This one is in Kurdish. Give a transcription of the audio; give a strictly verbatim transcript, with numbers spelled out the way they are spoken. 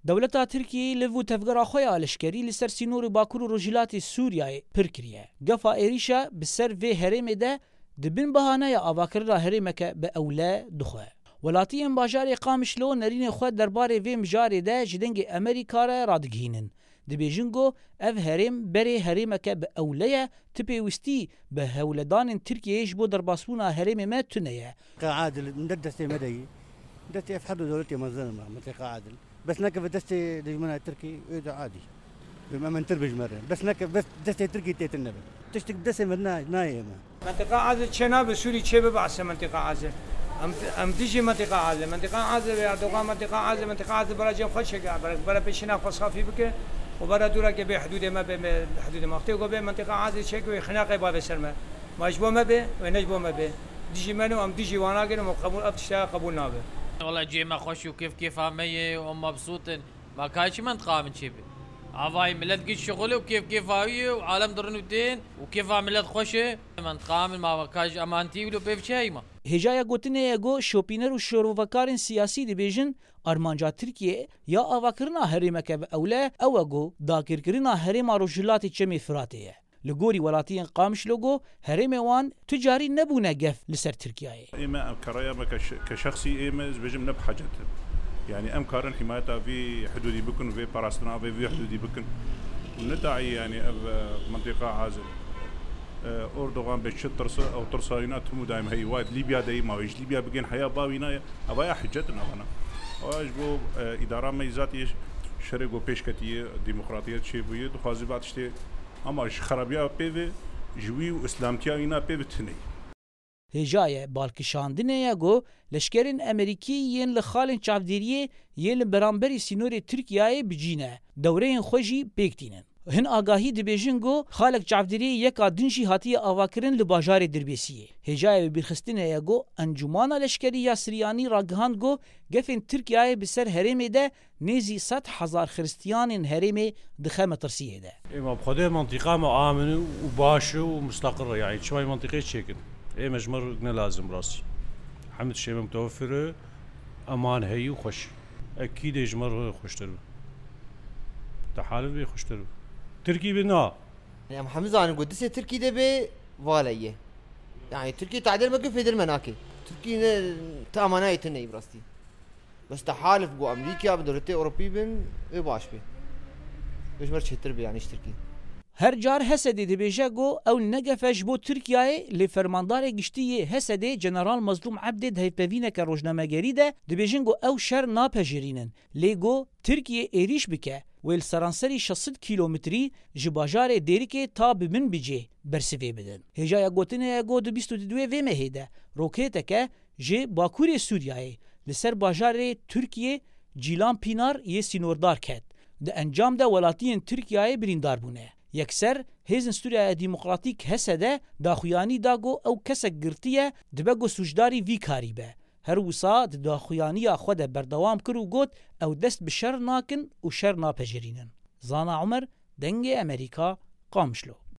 Dewleta Tirkiyeyê li vû tevgera xwe ya leşkerî li ser sînorê Bakur û Rojhilatê Sûriyeyê pir kiriye. Gefa êrîşa bi ser vê herêmê de di bin bahaneya avakirina herêmeke bi ewle dixwe. Welatiyên bajarê Qamişlo nerînê xwe derbarê vê mijarê de ji Dengê Amerîka re radigihînin. Dibêjin ku ev herêm berê herêmeke bi ewle ye, ti pêwîstî bi hewledanên Tirkiyeyê ji bo derbasbûna herêmê me tune ye. Qe Adil, min der destê me de yî. Destê ev her du dewletê mezin me, mintiqa Adil. Bes neke ve destê dijmena Tirkî, ê de adî. Em emintir bijmerin. Bes neke, bes destê Tirkî têtin nebe. Tiştik bi destê me na-, nayê me. Mintiqa Azir çê nabe, Sûrî çê bibe ase mintiqa Azir. Em, em dijî mintiqa Azir. Mintiqa Azir ve Erdogan mintiqa Azir, mintiqa Azir bara cem xwe çêke, bara, bara pêşîna xwe safî bike û bara dûra ke bê hudûdê me bê, bê hudûdê me. Wextê ku bê mintiqa Azir çêke wê xinaqê bavê ser me. Ma ji bo me bê, wê ne ji bo me bê. Dijî me no, em dijî wana gin û qebûl, ev tişta qebûl nabe. Wala cihê me xweş û kêf kêfa me ye û em mebsût in. Ma ka çi mentiqa min çê be? Avayî milet giş şixul e û kêf kêfa wî ye û alem dirin û tên û kêfa milet xweş e. Mentiqa min ma ka ji emantî wilo pê biçe heyma. Hêjaya gotinê ye ku şopîner û şirovekarên siyasî dibêjin, armanca Tirkiyê ya avakirina herêmeke bi ewle ew e ku dagirkirina herêma Rojhilatê Çemê Firatê ye. Li gorî welatiyên Qamişlo ku herêmê wan tu carî nebûne gef li ser Tirkiyeyê. Ê me, ev keraya me ke şe-, ke şexsî ê me, ez bêjim ne bi hecet in. Yanî em karin himayeta vî hudûdî bikin û vê parastina vê vî hudûdî bikin. Û ne daî yanî ev, e, mintiqa Azir. E, Erdogan bê çi tirse, ew tirsa wîna tim û daîm heyî. Wa Lîbya de yî ma wê ji Lîbya bigên heya ba wîna ye. Ev ya hicet in evana. Ew ji bo, e, îdara me yî zatî şerê ku pêş ketiye, demokratiyet çêbûye, dixwaze ba tiştê Ama ji xerabiya pê ve, ji wî û îslamtiya wîna pê ve tune ye. Hêjayê balkişandinê ye ku leşkerên Amerîkî yên li xalên çavdêriyê yên li beramberî sînorê Tirkiyeyê bi cî ne, dewreyên xwe jî pêk tînin. Hin agahî dibêjin ku xalek çavdêriyê yeka din jî hatiye avakirin li bajarê Dirbêsiyê. Hêjayê bibîrxistinê ye ku Encûmana Leşkerî ya Siryanî ragihand ku gefên Tirkiyeyê bi ser herêmê de nêzî sed hezar xiristiyanên herêmê dixe metirsiyê de. Ê ma bi Xwedê mintîqa me amin û baş û mustaqir e. Yanî çima mintîqê çêkin? Ê me ji me re ne lazim rastî. Hemd şê me mutewefir e, eman heyî û xweş. Ekîdê ji me re xweştir bi. Te halin bê xweştir bi. Tirkî bi na. Em hemî zanin ku disê Tirkî de bê vale ye. Yanî Tirkî tadil me ku fêdil me nake. Tirkî ne, te emanayê te neyî bi rastî. Bes te halif ku Amerîka bi dewletê Ewropî bin, wê baş be. Wê ji me re çêtir be, yanî ji Tirkî. Her car Hesedê dibêje ku ew ne gef e ji bo Tirkiyeyê, lê fermandarê giştî yê Hesedê General Mezlûm Ebdê di hevpevîneke rojnamegerî de dibêjin ku ew şer napejirînin, lê ku Tirkiye êrîş bike, wê li seranserî şeş sed kîlometrî ji bajarê Dêrikê ta bi Minbicê bersivê bidin. Hêjaya gotinê ye ku di bîst û duwê vê mehê de roketeke ji bakurê Sûriyeyê li ser bajarê Tirkiyê Cîlan Pînar yê sînordar ket. Di encam de welatiyên Tirkiyeyê birîndar bûne. Yekser hêzên Sûriyeya Demokratîk H S D daxuyanî da ku ew kesek girtiye, dibe ku sûcdarî vî karî be. Her wisa di daxuyaniya xwe de berdewam kir û got, ew dest bi şer nakin û şer napejirînin. Zana Omer, Dengê Amerîka, Qamişlo.